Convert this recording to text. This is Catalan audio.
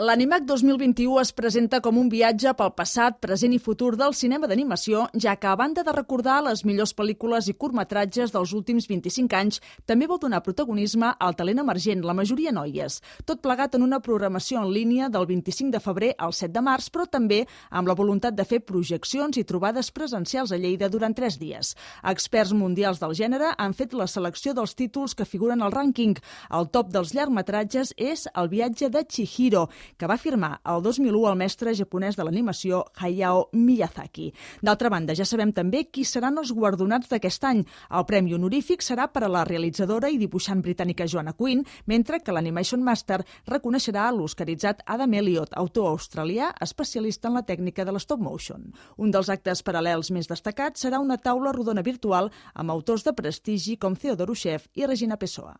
L'Animac 2021 es presenta com un viatge pel passat, present i futur del cinema d'animació, ja que a banda de recordar les millors pel·lícules i curtmetratges dels últims 25 anys, també vol donar protagonisme al talent emergent, la majoria noies. Tot plegat en una programació en línia del 25 de febrer al 7 de març, però també amb la voluntat de fer projeccions i trobades presencials a Lleida durant 3 dies. Experts mundials del gènere han fet la selecció dels títols que figuren al rànquing. El top dels llargmetratges és El viatge de Chihiro, que va firmar el 2001 el mestre japonès de l'animació Hayao Miyazaki. D'altra banda, ja sabem també qui seran els guardonats d'aquest any. El premi honorífic serà per a la realitzadora i dibuixant britànica Joanna Quinn, mentre que l'Animation Master reconeixerà l'oscaritzat Adam Elliott, autor australià especialista en la tècnica de l'stop motion. Un dels actes paral·lels més destacats serà una taula rodona virtual amb autors de prestigi com Theodore Chef i Regina Pessoa.